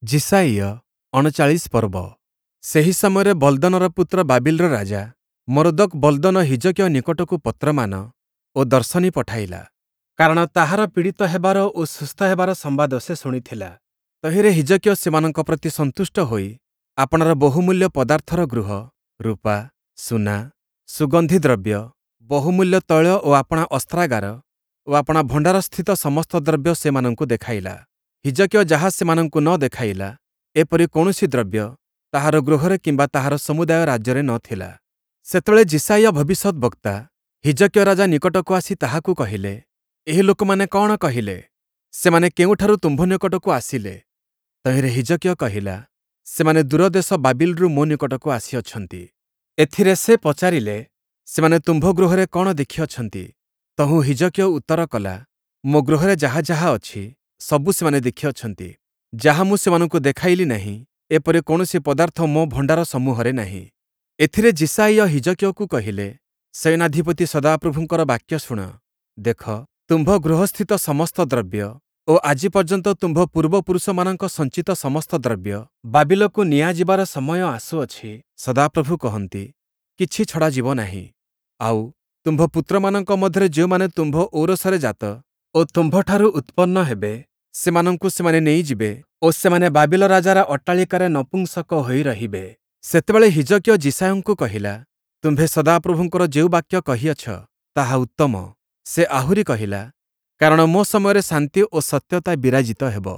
ଯିଶାଇୟ ୩୯ ପର୍ବ। ସେହି ସମୟରେ ବଲ୍ଦନର ପୁତ୍ର ବାବିଲର ରାଜା ମରୋଦକ୍ ବଲ୍ଦନ ହିଜକିୟ ନିକଟକୁ ପତ୍ରମାନ ଓ ଦର୍ଶନୀ ପଠାଇଲା, କାରଣ ତାହାର ପୀଡ଼ିତ ହେବାର ଓ ସୁସ୍ଥ ହେବାର ସମ୍ବାଦ ସେ ଶୁଣିଥିଲା। ତହିଁରେ ହିଜକିୟ ସେମାନଙ୍କ ପ୍ରତି ସନ୍ତୁଷ୍ଟ ହୋଇ ଆପଣାର ବହୁମୂଲ୍ୟ ପଦାର୍ଥର ଗୃହ, ରୂପା, ସୁନା, ସୁଗନ୍ଧି ଦ୍ରବ୍ୟ, ବହୁମୂଲ୍ୟ ତୈଳ ଓ ଆପଣା ଅସ୍ତ୍ରାଗାର ଓ ଆପଣା ଭଣ୍ଡାରସ୍ଥିତ ସମସ୍ତ ଦ୍ରବ୍ୟ ସେମାନଙ୍କୁ ଦେଖାଇଲା। ହିଜକିୟ ଯାହା ସେମାନଙ୍କୁ ନ ଦେଖାଇଲା, ଏପରି କୌଣସି ଦ୍ରବ୍ୟ ତାହାର ଗୃହରେ କିମ୍ବା ତାହାର ସମୁଦାୟ ରାଜ୍ୟରେ ନ ଥିଲା। ସେତେବେଳେ ଯିଶାଇୟ ଭବିଷ୍ୟଦ୍‌ବକ୍ତା ହିଜକିୟ ରାଜା ନିକଟକୁ ଆସି ତାହାକୁ କହିଲେ, ଏହି ଲୋକମାନେ କଅଣ କହିଲେ? ସେମାନେ କେଉଁଠାରୁ ତୁମ୍ଭ ନିକଟକୁ ଆସିଲେ? ତହିଁରେ ହିଜକିୟ କହିଲା, ସେମାନେ ଦୂର ଦେଶ ବାବିଲରୁ ମୋ ନିକଟକୁ ଆସିଅଛନ୍ତି। ଏଥିରେ ସେ ପଚାରିଲେ, ସେମାନେ ତୁମ୍ଭ ଗୃହରେ କଅଣ ଦେଖିଅଛନ୍ତି? ତହୁଁ ହିଜକିୟ ଉତ୍ତର କଲା, ମୋ ଗୃହରେ ଯାହା ଯାହା ଅଛି, ସବୁ ସେମାନେ ଦେଖିଅଛନ୍ତି। ଯାହା ମୁଁ ସେମାନଙ୍କୁ ଦେଖାଇଲି ନାହିଁ, ଏପରି କୌଣସି ପଦାର୍ଥ ମୋ ଭଣ୍ଡାର ସମୂହରେ ନାହିଁ। ଏଥିରେ ଯିଶାଇୟ ହିଜକିୟକୁ କହିଲେ, ସେନାଧିପତି ସଦାପ୍ରଭୁଙ୍କର ବାକ୍ୟ ଶୁଣ। ଦେଖ, ତୁମ୍ଭ ଗୃହସ୍ଥିତ ସମସ୍ତ ଦ୍ରବ୍ୟ ଓ ଆଜି ପର୍ଯ୍ୟନ୍ତ ତୁମ୍ଭ ପୂର୍ବପୁରୁଷମାନଙ୍କ ସଞ୍ଚିତ ସମସ୍ତ ଦ୍ରବ୍ୟ ବାବିଲକୁ ନିଆଯିବାର ସମୟ ଆସୁଅଛି, ସଦାପ୍ରଭୁ କହନ୍ତି, କିଛି ଛଡ଼ାଯିବ ନାହିଁ। ଆଉ, ତୁମ୍ଭ ପୁତ୍ରମାନଙ୍କ ମଧ୍ୟରେ ଯେଉଁମାନେ ତୁମ୍ଭ ଔରସରେ ଜାତ ଓ ତୁମ୍ଭଠାରୁ ଉତ୍ପନ୍ନ ହେବେ, ସେମାନଙ୍କୁ ସେମାନେ ନେଇଯିବେ ଓ ସେମାନେ ବାବିଲ ରାଜାର ଅଟ୍ଟାଳିକାରେ ନପୁଂସକ ହୋଇ ରହିବେ। ସେତେବେଳେ ହିଜକିୟ ଯିଶାଇୟଙ୍କୁ କହିଲା, ତୁମ୍ଭେ ସଦାପ୍ରଭୁଙ୍କର ଯେଉଁ ବାକ୍ୟ କହିଅଛ, ତାହା ଉତ୍ତମ। ସେ ଆହୁରି କହିଲା, କାରଣ ମୋ ସମୟରେ ଶାନ୍ତି ଓ ସତ୍ୟତା ବିରାଜିତ ହେବ।